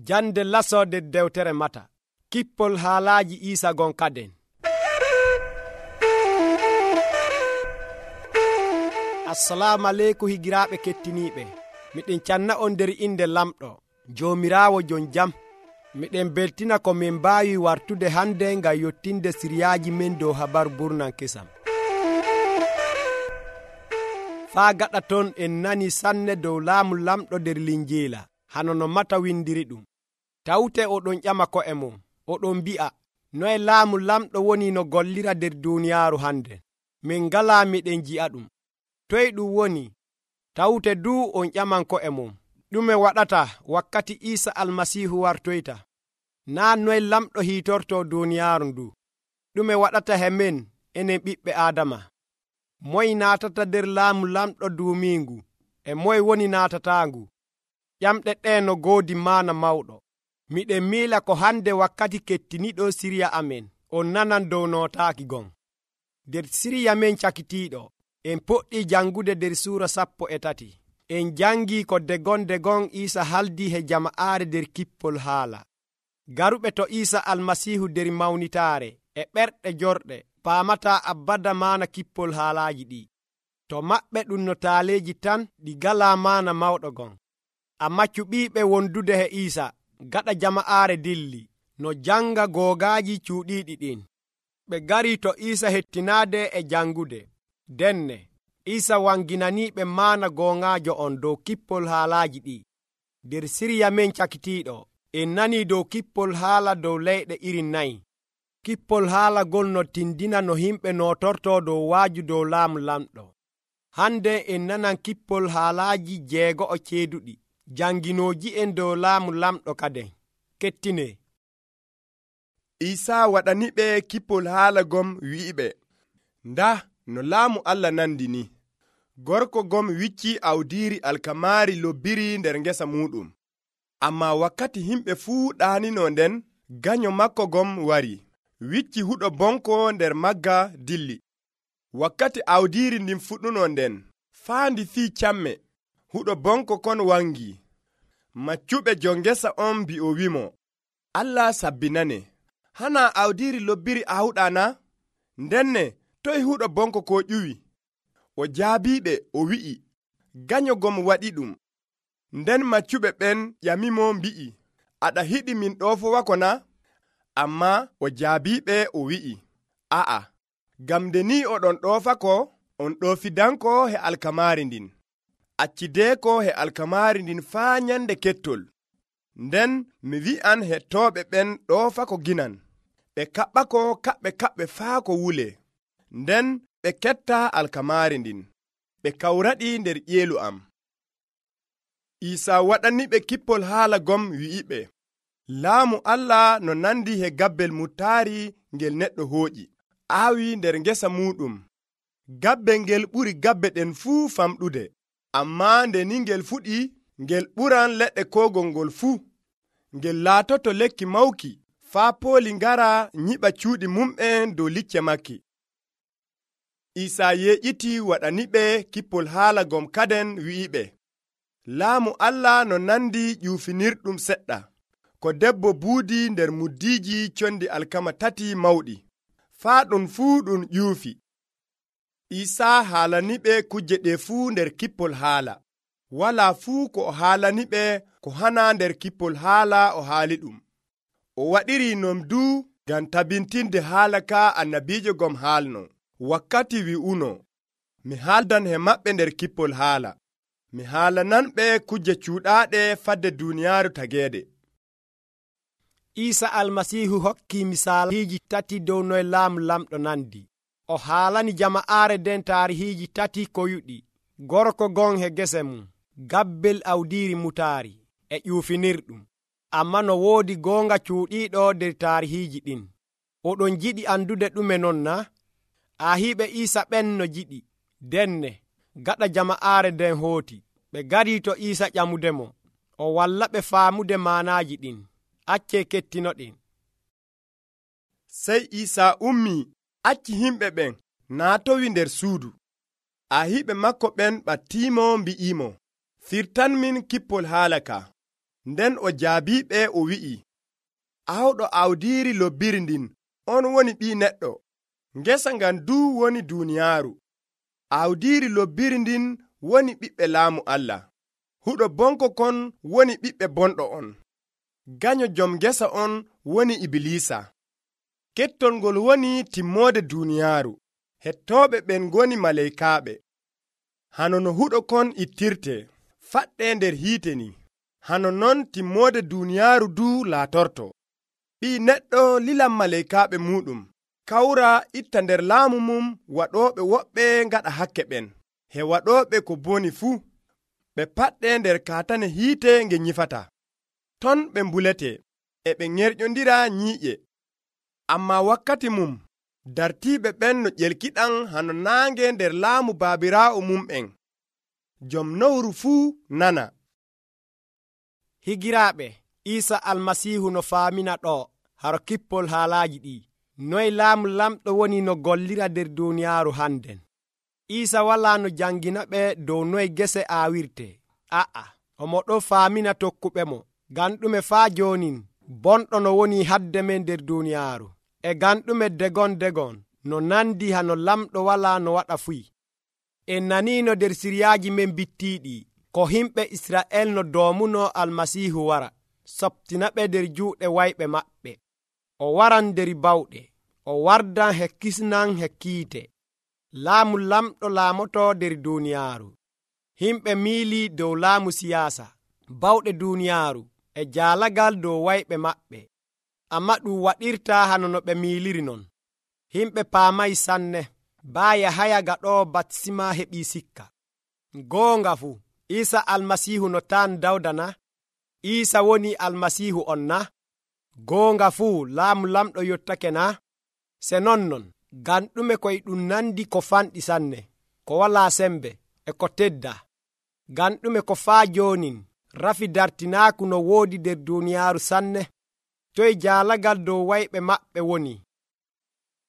Jande lasode dewtere Mata. Kippol haalaaji Iisa gon kaden. Assalamu aleykum higiraaɓe kettiniiɓe. Miɗen canna on nder inde lamɗo Joomiraawo jon jam. Miɗen beltina ko min mbaawi wartude hande ngam yottinde siriyaaji men dow habaru burnan kesam. Faa gaɗa ton en nani sanne dow laamu lamɗo nder linjeela hano no Mata windiri ɗum. Tawte oɗon ƴama ko'e mum, oɗon mbi'a, noye laamu lamɗo woni no gollira nder duuniyaaru hande. Min ngalaa miɗen ji'a ɗum. Toye ɗum woni? Tawte duu on ƴaman ko'e mum. Ɗume waɗata wakkati Iisa Almasiihu wartoyta? Naa noye lamɗo hiitorto duuniyaaru ndu. Ɗume waɗata he men enen ɓiɓɓe Aadama? Moye naatata nder laamu lamɗo duumiingu, e moye woni naatataangu? Ƴamɗe ɗee no goodi maana mawɗo. Miɗen miila ko hande wakkati kettiniɗo siriya amen on nanan dow nootaaki gon. Nder siriya men cakitiiɗo, en poɗɗii jangude nder suura 13. En jangii ko degon Iisa haldii he jama'aare nder kippol haala. Garuɓe to Iisa Almasiihu nder mawnitaare e ɓerɗe jorɗe paamataa abada maana kippol haalaaji ɗi. To maɓɓe ɗum no taaleeji tan ɗi galaa maana mawɗo gon. Ammaa cuɓiiɓe wondude he Iisa gaɗa jama'aare dilli no janga googaaji cuuɗiiɗi ɗin. Ɓe garii to Iisa hettinaade e jangude. Denne Iisa wanginaniiɓe maana gooŋaajo on dow kippol haalaaji ɗi. Nder siriya men cakitiiɗo en nanii dow kippol haala dow leyɗe iri 4. Kippol haala gol no tindina no himɓe nootorto dow waaju dow laamu lamɗo. Hande en nanan kippol haalaaji 6 ceeduɗi janginooji en dow laamu lamɗo kaden. Kettine Iisa waɗaniɓe kippol haala gom wi'iɓe, nda no laamu Allah nandi ni. Gorko gom wicci awdiiri alkamaari lobbiri nder ngesa muɗum. Ammaa wakkati himɓe fuu ɗaanino nden, ganyo makko gom wari, wicci huɗo bonko nder magga dilli. Wakkati awdiiri ndin fuɗɗuno nden, faandi fii camme, huɗo bonko kon wangi. Maccuɓe jon ngesa on mbi'o wimo, Allah sabbinane, hana awdiiri lobbiri awɗa na? Ndenne toye huɗo bonko ko ƴuwi? O jaabiɓe o wi'i, ganyo gom waɗi ɗum. Nden maccuɓe ɓen ƴamimo mbi'i, aɗa hiɗi min ɗoofowako na? Ammaa o jaabiɓe o wi'i, a'a, ngam nde ni oɗon ɗoofako, on ɗoofidanko he alkamaari ndin. Accideeko he alkamaari ndin faa nyande kettol. Nden mi wi'an hettooɓe ɓen ɗoofako ginan. Ɓe kaɓɓako kaɓɓe faa ko wule. Nden ɓe ketta alkamaari ndin. Ɓe kawraɗi nder ƴeelu am. Iisa waɗaniɓe kippol haala gom wi'iɓe, laamu Allah no nandi he gabbel mutaari ngel neɗɗo hooƴi, aawi nder ngesa muɗum. Gabbe ngel ɓuri gabbe ɗen fuu famɗude, ammaa nde ni ngel fuɗi, ngel ɓuran leɗɗe kogol ngol fuu. Ngel laatoto lekki mawki, faa pooli ngara nyiɓa cuuɗi mum'en dow licce makki. Iisa yeƴiti waɗaniɓe kippol haala gom kaden wi'iɓe, laamu Allah no nandi ƴuufinirɗum seɗɗa, ko debbo buudi nder muddiiji condi alkama 3 mawɗi, faa ɗum fuu ɗum ƴuufi. Iisa haalaniɓe kuje ɗe fuu nder kippol haala. Walaa fuu ko o haalaniɓe ko hana nder kippol haala o haali ɗum. O waɗiri non du ngam tabintinde haala ka annabiijo gom haalno. Wakkati wi'uno, mi haaldan he maɓɓe nder kippol haala. Mi haalananɓe kuje cuuɗaaɗe fadde duuniyaaru tageede. Iisa Almasiihu hokki misaaliiji 3 dow noye laamu lamɗo nandi. O haalani jama'aare nden taarihiiji 3 koyuɗi. Gorko gon he gese mum, gabbel awdiiri mutaari e ƴuufinirɗum. Amma no woodi goonga cuuɗiiɗo nder taarihiiji ɗin. Oɗon jiɗi andude ɗume non na? Ahiiɓe Iisa ɓen no jiɗi. Denne gaɗa jama'aare nden hooti, ɓe garii to Iisa ƴamudemo. O wallaɓe faamude maanaaji ɗin. Accee kettinoɗen. Sey Iisa ummii, acci himɓe ɓen naatowi nder suudu. Ahiiɓe makko ɓen ɓattiimo mbi'imo, firtanmin kippol haala ka. nden o jaabiɓe o wi'i, awɗo awdiiri lobbiri ndin on woni ɓii neɗɗo. Ngesa ngan duu woni duuniyaaru. Awdiiri lobbiri ndin woni ɓiɓɓe laamu Allah. Huɗo bonko kon woni ɓiɓɓe bonɗo on. Ganyo jom ngesa on woni Ibilisa. Kettol ngol woni timmoode duuniyaaru. Hettooɓe ɓen ngoni maleykaaɓe. Hano no huɗo kon ittirte, faɗɗe nder hiite ni, hano non timmoode duuniyaaru duu laatorto. Ɓii neɗɗo lilan maleykaaɓe muɗum, kawra itta nder laamu mum waɗooɓe woɓɓe ngaɗa hakke ɓen, he waɗooɓe ko boni fuu. Ɓe paɗɗe nder kaatane hiite nge nyifata. Ton ɓe mbulete, e ɓe ŋerƴondira nyiiƴe. Ammaa wakkati mum, dartiiɓe ɓen no ƴelkiɗan hano naange nder laamu baabiraawo mum'en. Jom nowru fuu nana. Higiraaɓe, Iisa Almasiihu no faamina ɗo haro kippol haalaaji ɗi. Noye laamu lamɗo woni no gollira nder duuniyaaru hannden. Iisa walaa no jangina ɓe dow noye gese aawirte. A'a, omo ɗo faamina tokkuɓe mo. Ngam ɗume faa joonin bonɗo no woni hadde men nder duuniyaaru. E ngam ɗume degon no nandi hano lamɗo walaa no waɗa fuy. En naniino nder siryaaji men bittiiɗi ko himɓe Isra'el no doomuno Almasiihu wara soptina ɓe nder juuɗe wayɓe maɓɓe. O waran nder bawɗe, o wardan he kisnan he kiite. Laamu lamɗo laamoto nder duuniyaaru. Himɓe miili dow laamu siyaasa, bawɗe duuniyaaru e jaalagal dow wayɓe maɓɓe. Amma ɗum waɗirta hano no ɓe miiliri non. Himɓe paamay sanne, baa Yahaya gaɗoowo batisma heɓii sikka. Goonga fuu, Iisa Almasiihu no taan Dawda na? Iisa woni Almasiihu on na? Goonga fuu, laamu lamɗo yottake na? Se non, ngam ɗume koye ɗum nandi ko fanɗi sanne, ko walaa sembe e ko tedda. Ngam ɗume ko faa joonin rafi dartinaaku no woodi nder duuniyaaru sanne. Toye jaalagal dow wayɓe maɓɓe woni.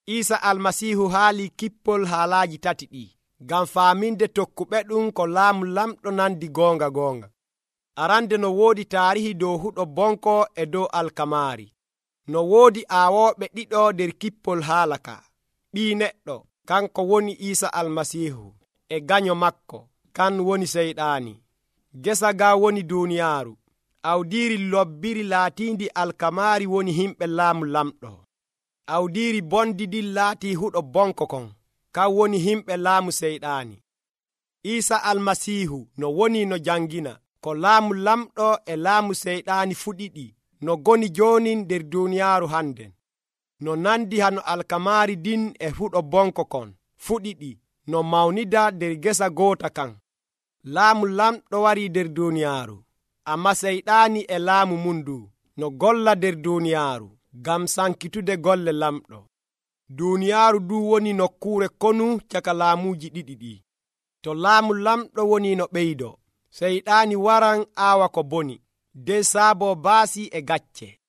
Iisa Almasiihu haali kippol haalaaji tati ɗi, ngam faaminde tokkuɓe ɗum ko laamu lamɗo nandi goonga. Arande no woodi taarihi dow huɗo bonko e dow alkamaari. No woodi aawooɓe ɗiɗo nder kippol haala ka. Ɓii neɗɗo, kanko woni Iisa Almasiihu, e ganyo makko, kan woni seyɗaani. Gesa ga woni duuniyaaru. Awdiiri lobbiri laatiindi alkamaari woni himɓe laamu lamɗo. Awdiiri bondi ɗin laatii huɗo bonko kon, kan woni himɓe laamu seyɗaani. Iisa Almasiihu no woni no jangina ko laamu lamɗo e laamu seyɗaani fuɗiɗi no goni jooni nder duuniyaaru hannden. No nandi hano alkamaari din e huɗo bonko kon fuɗiɗi no mawnida nder gesa goota kan. Laamu lamɗo warii nder duuniyaaru, amma seyɗaani e laamu mum ndu no golla nder duuniyaaru ngam sankitude golle lamɗo. Duuniyaaru du woni nokkuure konu caka laamuuji ɗiɗi ɗi. To laamu lamɗo woni no ɓeydo, seyɗaani waran aawa ko boni, nden saabo baasi e gacce.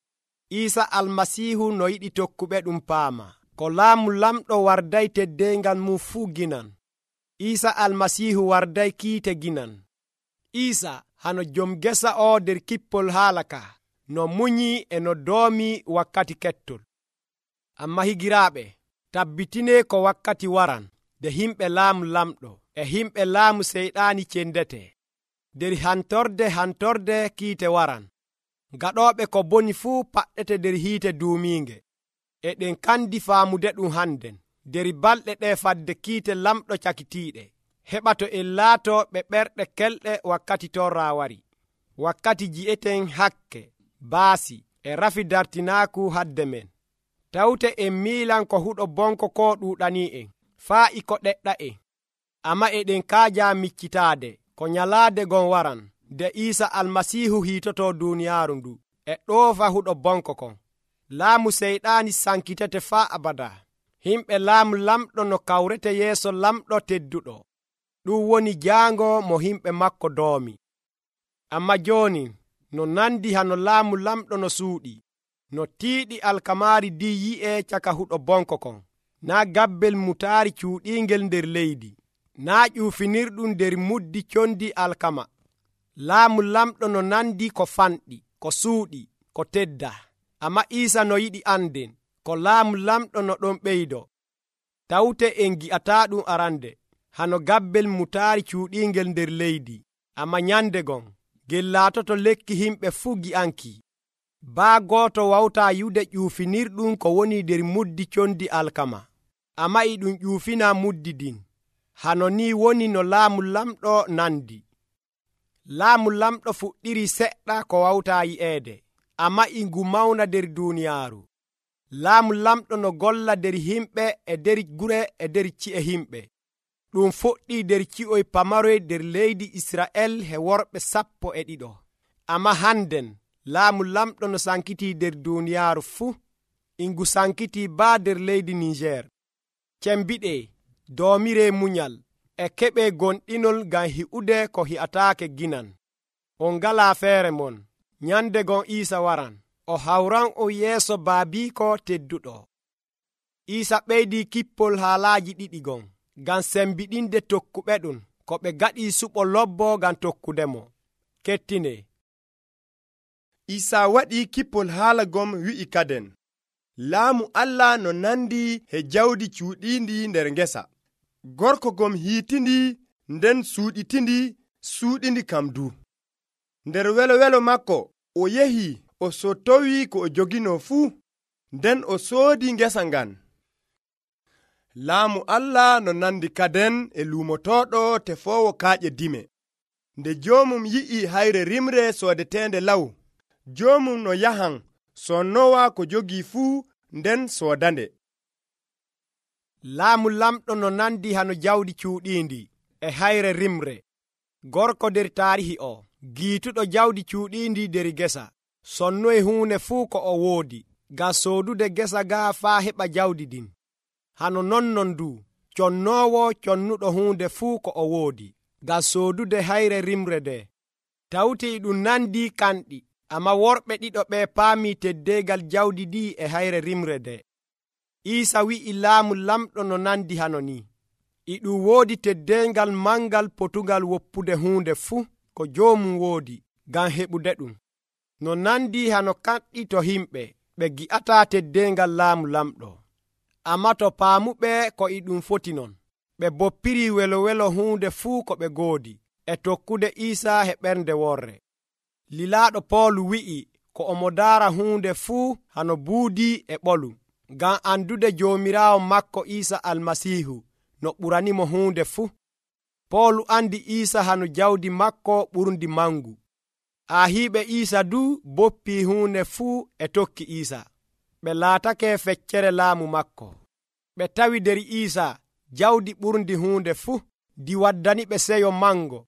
Iisa Almasiihu no yiɗi tokkuɓe ɗum paama, ko laamu lamɗo warday teddeengal mum fuu ginan. Iisa Almasiihu warday kiite ginan. Iisa hano jom gesa o nder kippol haala ka no munyi e no doomi wakkati kettol. Amma higiraaɓe, tabbitine ko wakkati waran de himɓe laamu lamɗo e himɓe laamu seyɗaani cendete. Nder hantorde kiite waran. Gaɗooɓe ko boni fuu paɗɗete nder hiite duumiinge. E ɗen kandi faamude ɗum hannden. Nder balɗe ɗe fadde kiite lamɗo cakitiiɗe. Heɓa to en laato ɓe ɓerɗe kelɗe wakkati torra wari. Wakkati ji'eten hakke, baasi e rafi dartinaaku hadde men. Tawte en miilan ko huɗo bonko ko ɗuuɗanii en, faa iko ɗeɗɗa en. Amma eɗen kaaja miccitaade ko nyalaade gon waran, de Iisa Almasiihu hiitoto duuniyaaru ndu e ɗoofa huɗo bonko kon. Laamu seyɗaani sankitete faa abada. Himɓe laamu lamɗo no kawrete yeeso lamɗo tedduɗo. Ɗum woni jaango mo himɓe makko doomi. Amma jooni no nandi hano laamu lamɗo no suuɗi, no tiiɗi alkamaari di yi'e caka huɗo bonko kon. Naa gabbel mutaari cuuɗiingel nder leydi, naa ƴuufinirɗum nder muddi condi alkama. Laamu lamɗo no nandi ko fanɗi, ko suuɗi, ko tedda. Amma Iisa no yiɗi anden ko laamu lamɗo no ɗon ɓeydo. Tawte en gi'ataa ɗum arande, hano gabbel mutaari cuuɗiingel nder leydi. Amma nyande gon, ngel laatoto lekki himɓe fuu gi'anki. Baa gooto wawtaa yude ƴuufinirɗum ko woni nder muddi condi alkama. Amma e ɗum ƴuufina muddi din. Hano ni woni no laamu lamɗo nandi. Laamu lamɗo fuɗɗiri seɗɗa ko wawtaa yi'eede, amma e ngu mawna nder duuniyaaru. Laamu lamɗo no golla nder himɓe e nder gure e nder ci'e himɓe. Ɗum fuɗɗii nder ci'oy pamaroy nder leydi Isra'el he worɓe 12. Amma hannden laamu lamɗo no sankitii nder duuniyaaru fuu. E ngu sankitii baa nder leydi Niger. Cembiɗee, doomiree munyal, e keɓee gonɗinol ngam hi'ude ko hi'ataake ginan. On ngalaa feere mon. Nyande gon Iisa waran, o hawran on yeeso baabiiko tedduɗo. Iisa ɓeydii kippol haalaaji ɗiɗi gon, ngam sembiɗinde tokkuɓe ɗum ko ɓe gaɗii suɓo lobbo ngam tokkudemo. Kettine. Iisa waɗii kippol haala gom wi'i kaden, laamu Allah no nandi he jawdi cuuɗiindi nder ngesa. Gorko gom hiitindi nden suuɗitindi suuɗindi kam du. Nder welo makko o yehi o sottowi ko o jogino fuu, nden o soodi ngesa ngan. Laamu Allah no nandi kaden e luumotoɗo tefoowo kaaƴe dime. Nde joomum yi'i hayre rimre soodetende law, joomum no yahan sonnowa ko jogii fuu nden soodande. Laamu lamɗo no nandi hano jawdi cuuɗiindi e hayre rimre. Gorko nder taarihi o, giituɗo jawdi cuuɗiindi nder gesa, sonnoy huune fuu ko o woodi, ngam soodude gesa gaa faa heɓa jawdi din. Hano nonnon du, connoowo connuɗo huunde fuu ko o woodi, ngam soodude hayre rimre nde. Tawti ɗum nandi kanɗi, amma worɓe ɗiɗo ɓe paamii teddeegal jawdi ɗi e hayre rimre nde. Iisa wi'i laamu lamɗo no nandi hano ni. E ɗum woodi teddeengal mangal potugal woppude huunde fuu ko joomum woodi, ngam heɓude ɗum. No nandi hano kanɗi to himɓe ɓe gi'ataa teddeengal laamu lamɗo. Amma to paamuɓe ko e ɗum foti non, ɓe boppiri welo huunde fuu ko ɓe goodi, e tokkude Iisa he ɓernde worre. Lilaaɗo Poolu wi'i ko omo daara huunde fuu hano buudi e ɓolu, ngam andude Joomiraawo makko Iisa Almasiihu no ɓuranimo huunde fuu. Poolu andi Iisa hano jawdi makko ɓurndi mangu. Ahiiɓe Iisa du boppii huunde fuu e tokki Iisa. Ɓe laatake feccere laamu makko. Ɓe tawi nder Iisa jawdi ɓurndi huunde fuu, di waddani ɓe seyo mango.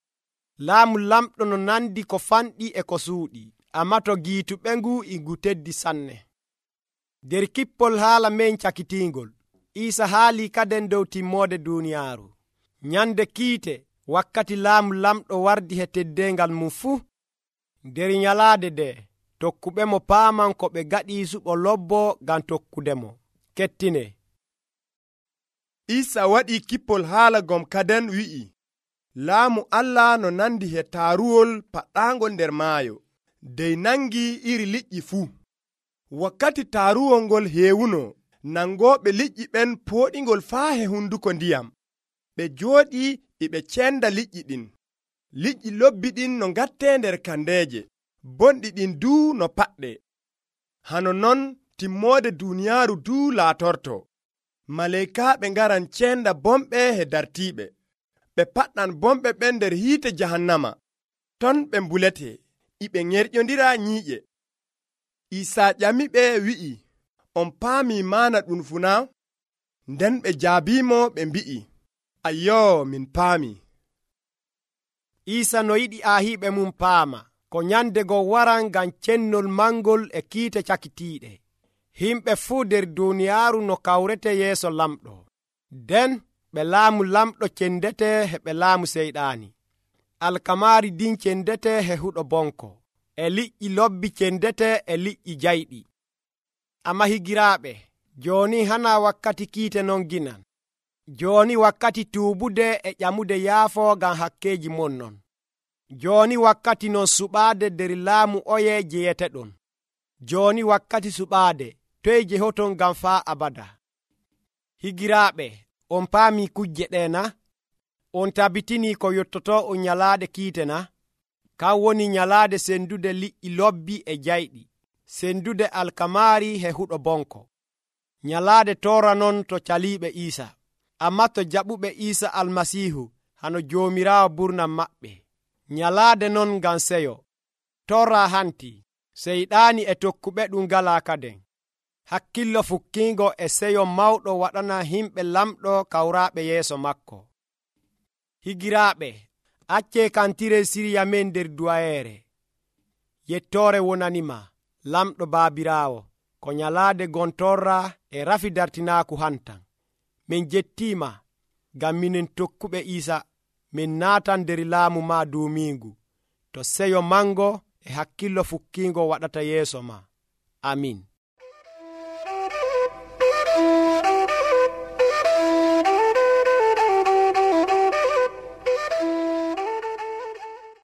Laamu lamɗo no nandi ko fanɗi e ko suuɗi, amma to giituɓe ngu e ngu teddi sanne. Nder kippol haala men cakitiingol, Iisa haalii kaden dow timmoode duuniyaaru. Nyande kiite wakkati laamu lamɗo wardi he teddeengal mum fuu. Nder nyalaade nde, tokkuɓe mo paaman ko ɓe gaɗii suɓo lobbo ngam tokkudemo. Kettine. Iisa waɗii kippol haala gom kaden wi'i, laamu Allah no nandi he taaruwol paɗɗaangol nder maayo, dey nangi iri liƴƴi fuu. Wakkati taaruwol ngol heewuno, nangooɓe liƴƴi ɓen pooɗingol faa he hunduko ndiyam. Ɓe jooɗii e ɓe cenda liƴƴi ɗin. Liƴƴi lobbi ɗin no ngattee nder kandeeje, bonɗi ɗin duu no paɗɗe. Hano non timmoode duuniyaaru duu laatorto. Maleykaaɓe ngaran cenda bomɓe he dartiiɓe. Ɓe paɗɗan bomɓe ɓen nder hiite jahannama. Ton ɓe mbulete, iɓe ŋerƴondira nyiiƴe. Iisaa ƴamiɓe wi'i, on paamii maana ɗum funa? Nden ɓe jaabiimo ɓe mbi'i, ayyoo, min paamii. Iisa no yiɗi ahiiɓe mum paama ko nyande go waran ngam cennol mangol e kiite cakitiiɗe. Himɓe fuu nder duuniyaaru no kawrete yeeso lamɗo. Nden ɓe laamu lamɗo cendete he ɓe laamu seyɗaani. Alkamaari din cendete he huɗo bonko, e liƴƴi lobbi cendete e liƴƴi jayɗi. Amma higiraaɓe, jooni hana wakkati kiite non ginan. Jooni wakkati tuubude e ƴamude yaafo ngam hakkeeji mon non. Jooni wakkati non suɓaade nder laamu oye jeyeteɗon. Jooni wakkati suɓaade toye jehoton ngam faa abada. Higiraaɓe, on paami kujje ɗe na? On tabitini ko yottoto on nyalaade kiite na? Kan woni nyalaade sendude liƴƴi lobbi e jayɗi, sendude alkamaari e huɗo bonko. Nyalaade toora non to caliiɓe Iisa, ammaa to jaɓuɓe Iisa Almasiihu hano Joomiraawo burnam maɓɓe. Nyalaade non ngam seyo. Torra hanti, seyɗaani e tokkuɓe ɗum ngalaa kaden. Hakkillo fukkiingo e seyo mawɗo waɗana himɓe lamɗo kawraaɓe yeeso makko. Higiraaɓe, accee kantire siriya men nder duwayeere. Yettoore wonanima, lamɗo Baabiraawo, ko nyalaade gontorra e rafi dartinaaku hantan. Min jettiima, ngam minen tokkuɓe Iisa, min naatan nder laamu ma duumiingu, to seyo mango e hakkillo fukkiingo waɗata yeeso ma. Amin.